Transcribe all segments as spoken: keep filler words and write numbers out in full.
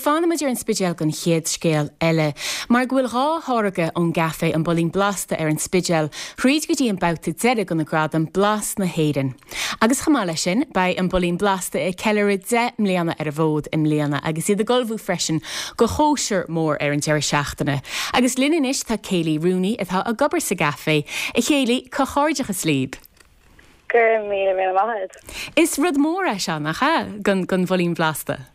fanfaimid ar an Spidéal don chéad scéal eile, mar go bhfuil dhá tháirge ón gcaifé An Builín Blasta ar an Spidéal thríd go dtí an babhta deiridh de na gradaim Blas na hÉireann. Agus chomh maith leis sin, beidh An Builín Blasta ag ceiliúradh deich mbliana ar an bhfód i mbliana agus iad ag ullmhú freisin do chóisir mór ar an deireadh seachtaine. Agus linn anois tá Kayleigh Rooney atá ag obair sa gcaifé. A Kayleigh, comhghairdeachas libh. Go raibh míle míle maith. Is rud mór é seo nach ea don don Bhuilín Blasta.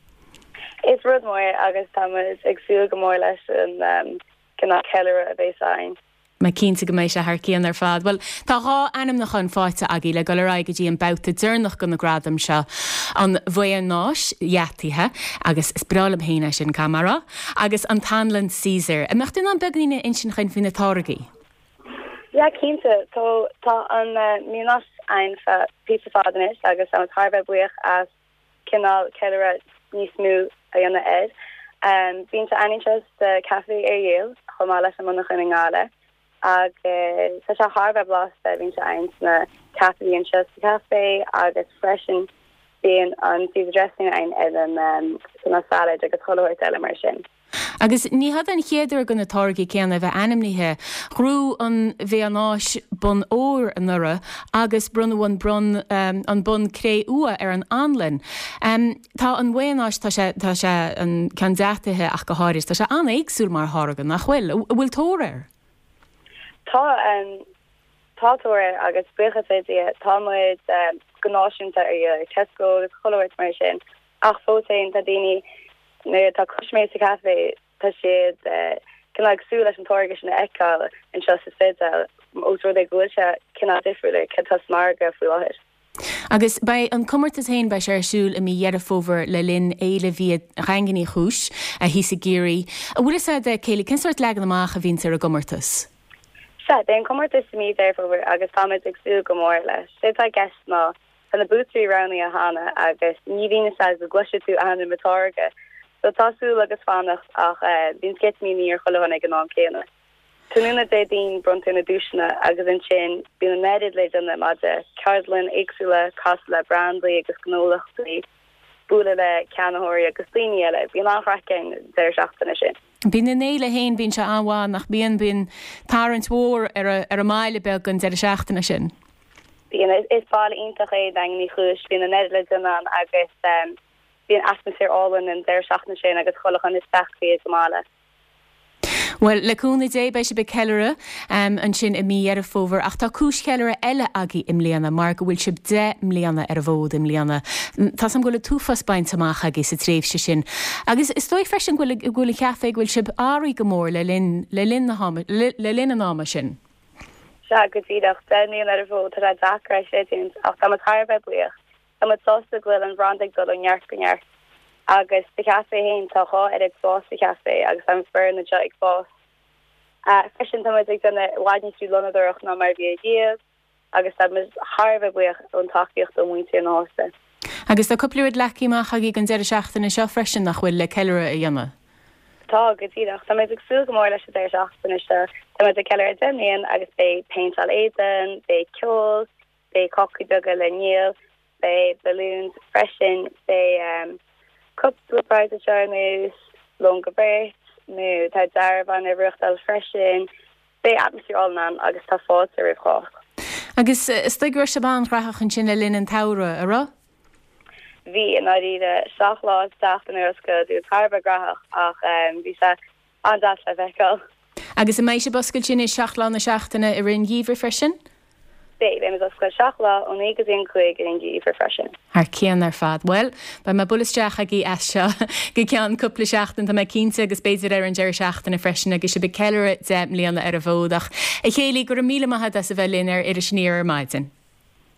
Is rud mór agus tá ag súil go mór leis an um, cineál ceiliúradh a bheas ann. Tá mé cinnte go mbeidh sé thar cionn ar fad. Well, tá dhá ainmniúchán faighte agaibh le dul ar aghaidh go dtí an babhta deireanach de na gradaim seo an mhaonáis dheataithe agus is breá liom féin é sin camara, agus an t-anlann Caesar. An mbeadh tú in ann beagáinín a insint dúinn faoi na táirgí. Ja cinnte tá tá an uh, maonáis ann le píosa fada anois agus tá thar a bheith buíoch as cineál ceiliúradh níos mó a dhéanamh air. Um, Bíonn sé anseo sa café ar Yale chomh maith leis an monarcha i nGaillimh agus tá sé thar a bheith blasta bíonn sé ann sna caifé anseo sa café agus freisin bíonn an Caesar dressing ann ar an um, sna salad agus chuile shórt eile mar sin. Agus ní hé an chéad uair do na táirgí céanna bheith ainmnithe bhuaigh an mhaonáis bonn óir anuraidh agus bronnadh an bronn um, an bonn cré-umha ar an anlann. Um, tá an mhaonáis tá sé tá sé an ceann deataithe ach go háirithe tá sé an-éagsúil mar tháirge nach bhfuil bhfuil tóir air. Tá um, tá tóir agus buíochas le Dia tá muid um, go náisiúnta ar Tesco agus chuile shórt mar sin ach fós féin tá daoine nuair atá custaiméir sa café tá siad cineál ag súil leis an táirge sin a fheiceáil anseo sa Spidéal ós rud é go bhfuil sé cineál difriúil cé atá sa mhargadh faoi láthair. Agus beidh an comórtas féin beidh sé ar siúl i mí Dheireadh Fómhair le linn Fhéile Bhia Dhaingean Uí Chúis a thíos i gCiarraí. An bhfuil a fhios agat Kayleigh cén sórt leagan amach a bhíonn ar an gcomórtas. Se, beidh an comórtas i mí Dheireadh Fómhair agus táimid ag súil go mór leis. Sé tá ceist ná tá na buaiteoirí roghnaithe cheana agus ní bhíonn sé go gcloisfidh tú ainm an táirge. So tá súil agus fanacht ach uh, bíonn sceitimíní ar chuile dhuine ag an am céanna. Tráthnóna Déardaoin bronntar na duaiseanna agus ansin bíonn an oiread le déanamh maidir ceardlanna éagsúla casadh le brandaí agus gnólachtaí bualadh le ceannaitheoirí agus daoine eile, bíonn an-chraic an deireadh seachtaine sin. Bíonn an fhéile féin bíonn sé an-mhaith nach bíonn bíonn tarraingt mhór ar ar an mbaile beag an deireadh seachtaine sin. Bíonn is baile iontach é Daingean Uí Chúis bíonn an oiread le déanamh agus um, bíonn atmaisféar álainn an deireadh seachtaine sin agus chuile dhuine isteach go maith. Well le cúnamh Dé beidh sibh ag ceiliúradh um, ansin i mí Dheireadh Fómhair ach tá cúis cheiliúradh eile agaibh i mbliana mar go bhfuil sibh deich mbliana ar an bhfód i mbliana. Tá sam go túfas baint amach agaibh sa tréimhse sin. Agus is dóigh freisin go bhfuil an café go bhfuil sibh athraithe go mór le linn le linn le, le linn an ama sin. Se go díreach deich mbliana ar an bhfód tá deacair sé ach tá thar a bheith buíoch. Tá sásta go bhfuil an brand ag dul ó neart go neart. agus sa café féin tá dhá oiread spás sa café agus an foireann anseo ag fás. Uh, freisin tá ag déanamh i bhfad níos lonnadóireacht ná mar bhí riamh agus tá thar a bheith buíoch ón tacaíocht ó mhuintir na háite. Agus tá cúpla rud leagtha amach agaibh an deireadh seachtaine seo freisin nach bhfuil le ceiliúradh a dhéanamh. Tá go díreach Tá ag súil go mór leis an deireadh seachtaine seo Tá ag ceiliúradh deich mbliana agus beidh péinteáil éadain, beidh ceol, beidh cácaí beaga le ndíol, beidh balloons freisin beidh um, cúpla prize seo lón go beirt nó tá dearbhán ar ruachtal freisin beidh atmaisféar álainn agus tá fáilte roimh chách. Agus is dóigh go raibh sibh an-ghnóthach ansin le linn an tsamhraidh a raibh? Bhí in áiríre seacht lá seachtain ar oscailt dú thar a bheith gnóthach ach um, bhí sé an-deas le feiceáil. Agus an mbeidh sibh oscailte sin i seacht lá na seachtaine i rith an gheimhridh freisin? Beidh beimid oscailte seacht lá ó naoi go dtí an cúig an geimhreadh freisin. Thar cionn ar fad. Well, beidh mé ag bualadh isteach agaibh as seo go ceann cúpla seachtain tá mé cinnte agus b'fhéidir ar an deireadh seachtaine freisin agus sibh ag ceiliúradh deich mbliana ar an bhfód ach a Kayleigh go raibh míle maith agat as a bheith linn ar Iris Aniar ar maidin.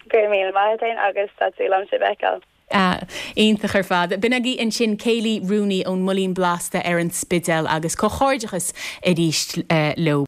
Go raibh míle maith agus tá súil agam sibh a fheiceáil. Uh, iontach ar fad. B'in agaibh ansin Kayleigh Rooney ón mBuilín Blasta ar an Spidéal agus comhghairdeachas arís uh, leo.